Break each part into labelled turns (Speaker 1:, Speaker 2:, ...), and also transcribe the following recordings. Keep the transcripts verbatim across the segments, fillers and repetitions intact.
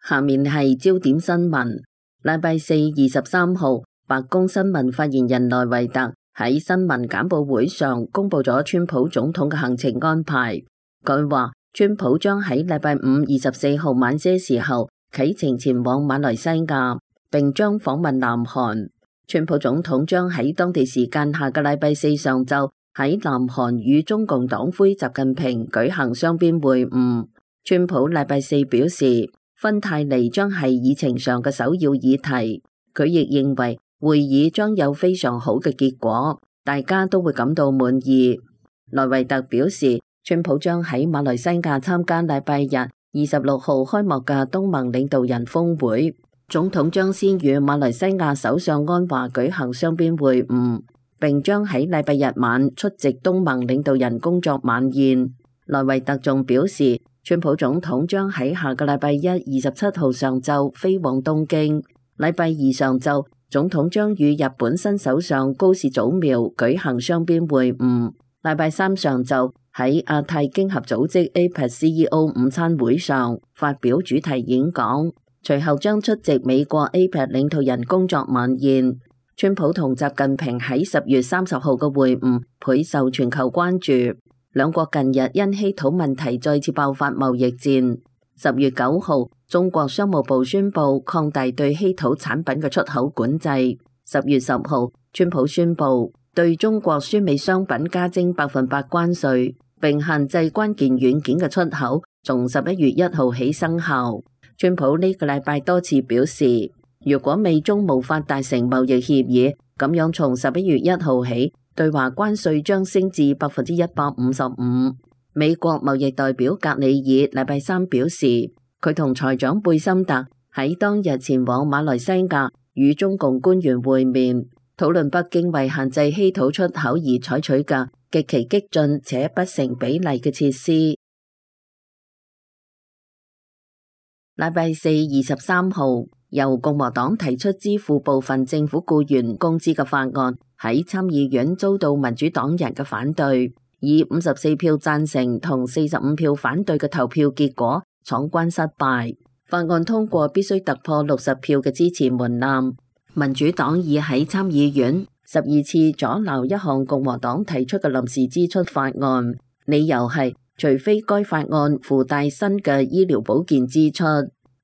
Speaker 1: 下面係焦點新聞。禮拜四二十三號，白宮新聞發言人萊維特喺新聞簡報會上公布咗川普總統嘅行程安排。佢話川普將喺禮拜五二十四號晚些時候啟程前往馬來西亞，並將訪問南韓。川普總統將喺當地時間下個禮拜四上晝喺南韓與中共黨魁習近平舉行雙邊會晤。川普禮拜四表示，芬太尼將係議程上嘅首要議題。佢亦認為會議將有非常好嘅結果，大家都會感到滿意。萊維特表示，川普將喺馬來西亞參加禮拜日二十六號開幕嘅東盟領導人峰會。總統將先與馬來西亞首相安華舉行雙邊會晤，並將喺禮拜日晚出席東盟領導人工作晚宴。萊維特仲表示，川普總統將喺下個禮拜一二十七號上晝飛往東京。禮拜二上晝，總統將與日本新首相高市早苗舉行雙邊會晤。禮拜三上晝喺亞太經合組織 A P E C C E O 午餐會上發表主題演講，隨後將出席美國 A P E C 領導人工作晚宴。川普同習近平喺十月三十號嘅會晤倍受全球關注。兩國近日因稀土問題再次爆發貿易戰。十月九號，中國商務部宣布擴大對稀土產品嘅出口管制。十月十號，川普宣布對中國輸美商品加徵百分百關稅，並限制關鍵軟件嘅出口，從十一月一號起生效。川普呢個禮拜多次表示，如果美中無法達成貿易協議，咁樣從十一月一號起，對華關稅將升至百分之一百五十五。美國貿易代表格里爾禮拜三表示，佢同財長貝森特喺當日前往馬來西亞與中共官員會面，討論北京為限制稀土出口而採取嘅極其激進且不成比例嘅設施。禮拜四二十三號，由共和黨提出支付部分政府僱員工資嘅法案喺參議院遭到民主黨人嘅反對，以五十四票贊成同四十五票反對嘅投票結果，闖關失敗。法案通過必須突破六十票嘅支持門檻。民主黨已喺參議院十二次阻撓一項共和黨提出嘅臨時支出法案，理由係除非該法案附帶新嘅醫療保健支出。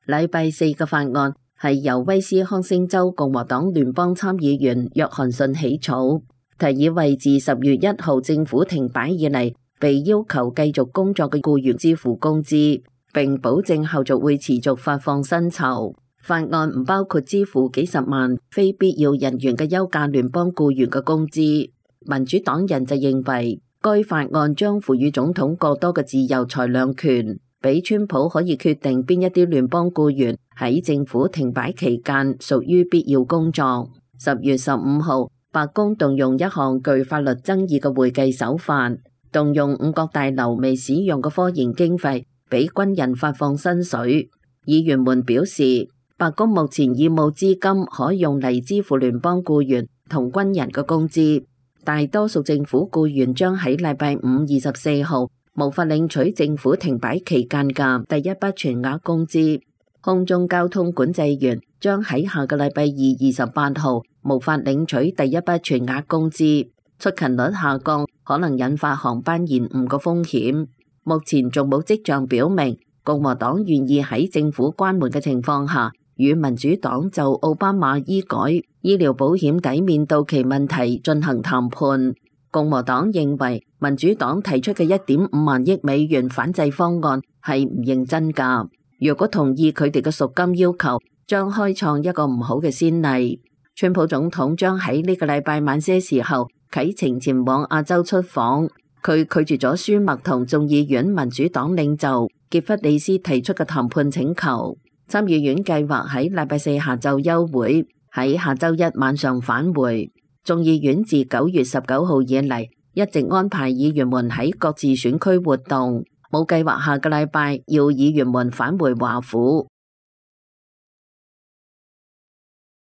Speaker 1: 禮拜四嘅法案係由威斯康星州共和黨聯邦參議員約翰遜起草，提議為自十月一號政府停擺以嚟被要求繼續工作嘅僱員支付工資，並保證後續會持續發放薪酬。法案唔包括支付幾十萬非必要人員嘅休假聯邦僱員嘅工資。民主黨人就認為該法案將賦予總統過多嘅自由裁量權，俾川普可以決定邊一啲聯邦僱員喺政府停擺期間屬於必要工作。十月十五號，白宮動用一項具法律爭議嘅會計手法，動用五角大樓未使用嘅科研經費俾軍人發放薪水。議員們表示，白宮目前已冇資金可用嚟支付聯邦僱員同軍人嘅工資，大多數政府僱員將喺禮拜五二十四號無法領取政府停擺期間嘅第一筆全額工資。空中交通管制員將喺下個禮拜二二十八號無法領取第一筆全額工資，出勤率下降可能引發航班延誤嘅風險。目前仲冇跡象表明共和黨願意喺政府關門嘅情況下與民主黨就奧巴馬醫改醫療保險抵免到期問題進行談判。共和黨認為民主黨提出嘅一點五萬億美元反制方案係唔認真㗎。如果同意佢哋嘅贖金要求，將開創一個唔好嘅先例。川普總統將喺呢個禮拜晚些時候啟程前往亞洲出訪，佢拒絕咗舒默同眾議院民主黨領袖傑弗里斯提出嘅談判請求。參議院計劃喺禮拜四下晝休會，喺下週一晚上返回。眾議院自九月十九號以嚟一直安排議員們喺各自選區活動，冇計劃下個禮拜要議員們返回華府。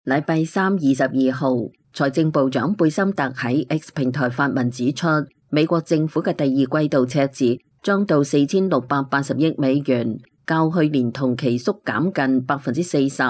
Speaker 1: 禮拜三二十二號，財政部長貝森特喺 X 平台發文指出，美國政府嘅第二季度赤字將到四千六百八十億美元。較去年同期縮減近百分之四十，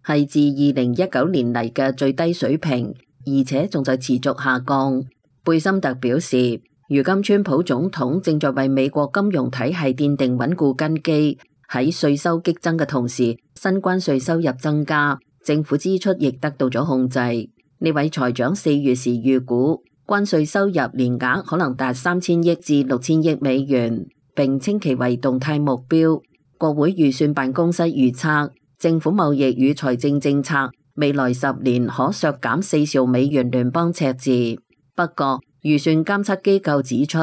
Speaker 1: 係自二零一九年嚟嘅最低水平，而且仲在持續下降。貝森特表示，如今川普總統正在為美國金融體系奠定穩固根基，喺稅收激增嘅同時，新關稅收入增加，政府支出亦得到咗控制。呢位財長四月時預估，關稅收入年額可能達三千億至六千億美元，並稱其為動態目標。國會預算辦公室預測，政府貿易與財政政策未來十年可削減四兆美元聯邦赤字。不過，預算監測機構指出，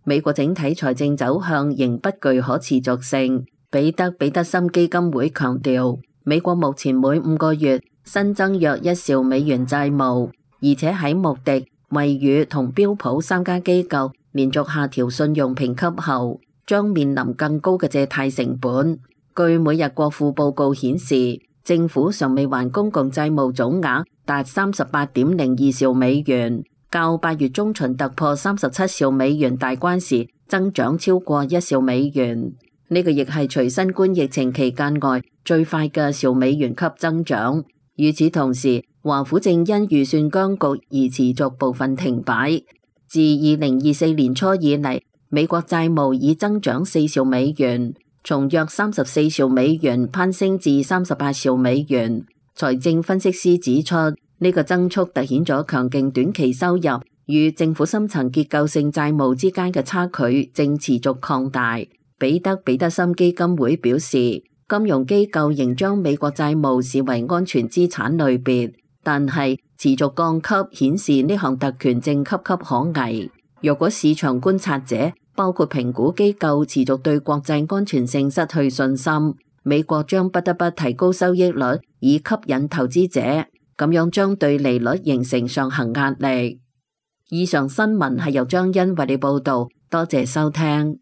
Speaker 1: 美國整體財政走向仍不具可持續性。彼得彼得森基金會強調，美國目前每五個月新增約一兆美元債務，而且喺穆迪、惠譽同標普三家機構連續下調信用評級後，將面臨更高嘅借貸成本。據每日國庫報告顯示，政府尚未還公共債務總額達三十八點零二兆美元，較八月中旬突破三十七兆美元大關時增長超過一兆美元。呢、這個亦係除新冠疫情期間外最快嘅兆美元級增長。與此同時，華府正因預算僵局而持續部分停擺。自二零二四年初以嚟，美國債務已增長四兆美元，從約三十四兆美元攀升至三十八兆美元。財政分析師指出，呢、這個增速凸顯咗強勁短期收入與政府深層結構性債務之間嘅差距正持續擴大。彼得彼得森基金會表示，金融機構仍將美國債務視為安全資產類別，但係持續降級顯示呢項特權正岌岌可危。若果市場觀察者包括評估機構持續對國際安全性失去信心，美國將不得不提高收益率以吸引投資者，咁樣將對利率形成上行壓力。以上新聞係由張欣為你報道，多謝收聽。